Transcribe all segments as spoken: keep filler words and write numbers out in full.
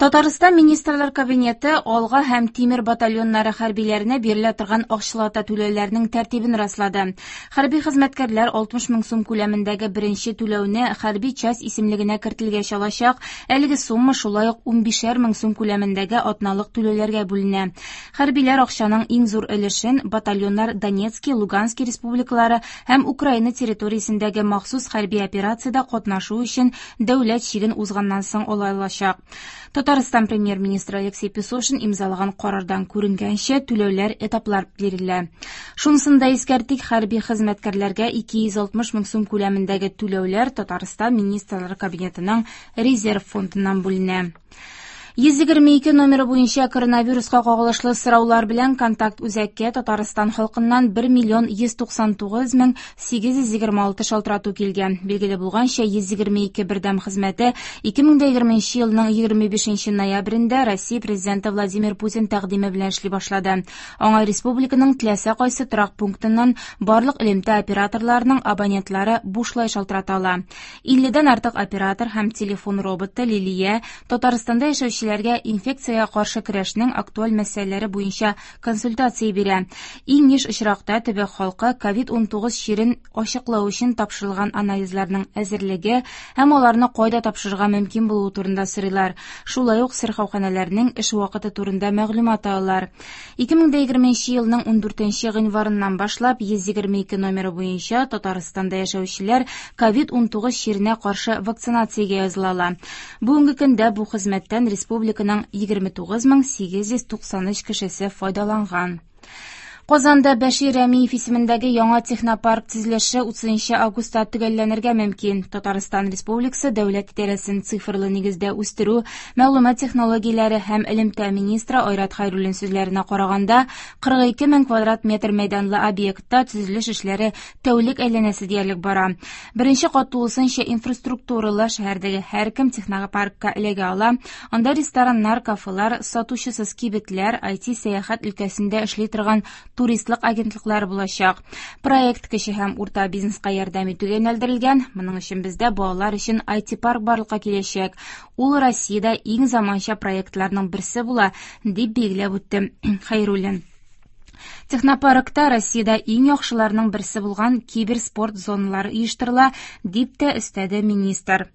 Татарстан Министрлар Кабинеты Алга һәм Тимер батальоннары хәрбиләренә бирелә торган акчалата түләүләрнең тәртибен раслады. Хәрби хезмәткәрләр алтмыш мең сум күләмендәге беренче түләүне хәрби часть исемлегенә кертелгәч алачак. Әлеге сумма шулай ук унбишәр мең сум күләмендәге атналык түләүләргә бүленә. Хәрбиләр акчаның иң зур өлешен батальоннар Донецки, Лугански республикалары һәм Украина территориясендәге махсус хәрби операциядә катнашу өчен дәүләт чиген узганнан соң ала алачак. Татарстан премьер-министры Алексей Песошин имзалаган карардан күренгәнчә, түләүләр этаплар бирелә. Шунысын да искәртик, хәрби хезмәткәрләргә ике йөз алтмыш мең сум күләмендәге түләүләр Татарстан Министрлар Кабинетының резерв фондыннан бүленә. Йөз егерме ике номеры буенча коронавируска кагылышлы сораулар белән контакт үзәккә Татарстан халкыннан бер миллион йөз туксан тугыз мең сигез йөз егерме алты шалтырату килгән. Билгеле булганча, йөз егерме ике бердәм хезмәте ике мең дә егерменче елның егерме бишенче ноябрендә Россия президенты Владимир Путин тәкъдиме белән эшли башлады. Аңа республиканың теләсә кайсы торак пунктыннан барлык элемтә операторларының абонентлары бушлай шалтырата ала. Илледән артык оператор һәм телефон роботы Лилия Татарстанда яшәүче кешеләргә инфекциягә каршы көрәшнең актуаль мәсьәләләре буенча консультация бирә. Иң еш очракта төбәк халкы ковид унтугыз чирен ачыклау өчен тапшырылган анализларның әзерлеге һәм аларны кайда тапшырырга мөмкин булуы турында сорыйлар. Шулай ук сырхауханәләрнең эш вакыты турында мәгълүмат алалар. Ике мең дә егерменче елның ундүртенче гыйнварыннан башлап йөз егерме ике номеры буенча Татарстанда яшәүчеләр ковид унтугыз чиренә каршы вакцинациягә языла ала. Бүгенге көндә бу хезмәттән республиканың егерме тугыз мең сигез йөз туксан өч кешесе файдаланган. Казанда Бәшир Рәмиев исемендәге яңа технопарк төзелеше утызынчы августта төгәлләнергә мөмкин. Татарстан Республикасы дәүләт идарәсен цифрлы нигездә үстерү, мәгълүмат технологияләре һәм элемтә министры Айрат Хәйруллин сүзләренә караганда, кырык ике мең квадрат метр мәйданлы объектта төзелеш эшләре тәүлек әйләнәсе диярлек бара. Беренче кат тулысынча инфраструктуралы шәһәрдәге һәркем технопаркка эләгә ала. Анда рестораннар, кафелар, сатучысыз кибетләр, ай ти сәяхәт өлкәсендә эшли торган туристлык агентлыклары булачак. Проект кече һәм урта бизнеска ярдәм итүгә юнәлдерелгән. Моның өчен бездә балалар өчен ай ти парк барлыкка киләчәк. Ул Россиядә иң заманча проектларның берсе була, дип билгеләп үтте Хәйруллин. Технопаркта Россиядә иң яхшыларның берсе булган киберспорт зоналары оештырыла, дип тә өстәде министр.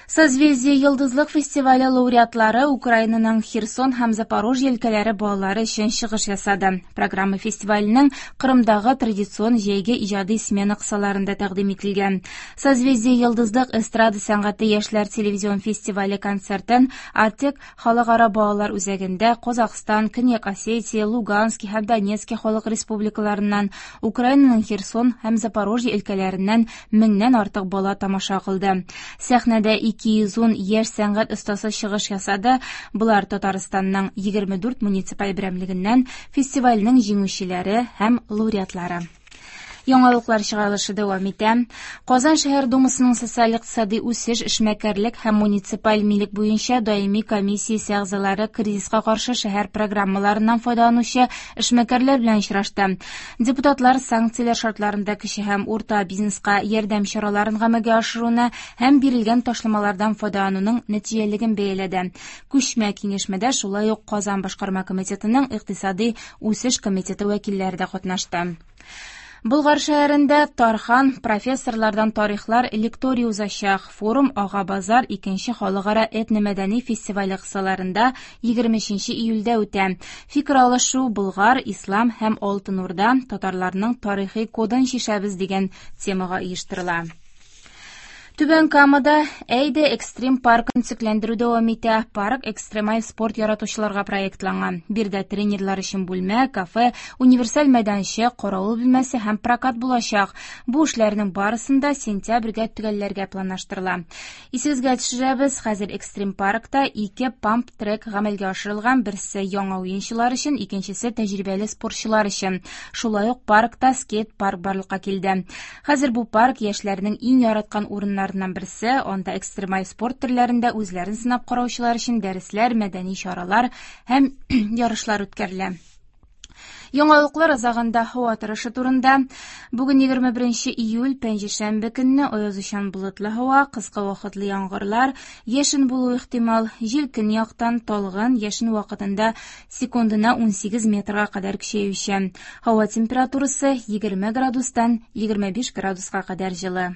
Созвездие Йолдызлык фестивале лауреатлары Украинаның Херсон һәм Запорожье өлкәләре балалары өчен чыгыш ясады. Программа фестиваленең Кырымдагы традицион җәйге иҗади смена кысаларында тәкъдим ителгән. Созвездие Йолдызлык эстрада сәнгате яшьләр телевизион фестивале концертын Артек халыкара балалар үзәгендә Казахстан, Көньяк Осетия, Луганский һәм Донецкий халык республикаларыннан, Украинаның Херсон һәм Запорожье өлкәләреннән меңнән артык бала тамаша кылды. Сәхнәдә ике йөз ун яшь сәнгать остасы чыгыш ясады. Булар Татарстанның егерме дүрт муниципаль берәмлегеннән фестивальнең җиңүчеләре һәм лауреатлары. Яңалыклар чыгарылышы дәвам итә. Казан шәһәр думасының социаль-икътисади үсеш, эшмәкәрлек һәм муниципаль милек буенча даими комиссиясе әгъзалары кризиска каршы шәһәр программаларыннан файдаланучы эшмәкәрләр белән очрашты. Депутатлар санкцияләр шартларында кече һәм урта бизнеска ярдәм чараларын гамәлгә ашыруны һәм бирелгән ташламалардан файдалануның нәтиҗәлелеген бәяләде. Күчмә киңәшмәдә шулай ук Казан башкарма комитетының икътисади үсеш комитеты вәкилләре дә катнашты. Болгар шәһәрендә Тархан профессорлардан тарихлар лекторий узачак. Форум Ага Базар икенче халыкара этномәдәни фестивале кысаларында егерме өченче июльдә үтә. Фикер алышу Болгар, Ислам һәм Алтын Урда татарларның тарихи кодын чишәбез дигән темага оештырыла. Түбән Камада Әйдә экстрим паркын төзекләндерү дәвам итә. Парк экстремаль спорт яратучыларга проектланган. Биредә тренерлар өчен бүлмә, кафе, универсаль мәйданчык, каравыл бүлмәсе һәм прокат булачак. Бу эшләрнең барысын да сентябрьгә төгәлләргә планлаштырыла. Исегезгә төшерәбез, хәзер экстрим паркта ике памп-трек гамәлгә ашырылган, берсе яңа уенчылар өчен, икенчесе тәҗрибәле спортчылар өчен. Шулай ук паркта скейт-парк барлыкка килде. Хәзер бу парк яшьләрнең иң яраткан урыннары берсе, анда экстремаль спорт төрләрендә үзләрен сынап караучылар өчен дәресләр, мәдәни чаралар һәм ярышлар үткәрелә. Яңалыклар азагында һава торышы турында. Бүген егерме беренче июль, пәнҗешәмбе көнне аязучан болытлы һава, кыска вакытлы яңгырлар, яшен булуы ихтимал, җил көньяктан талгын, яшен вакытында секундына унсигез метрга кадәр көчәючән. Һава температурасы егерме градустан егерме биш градуска кадәр җылы.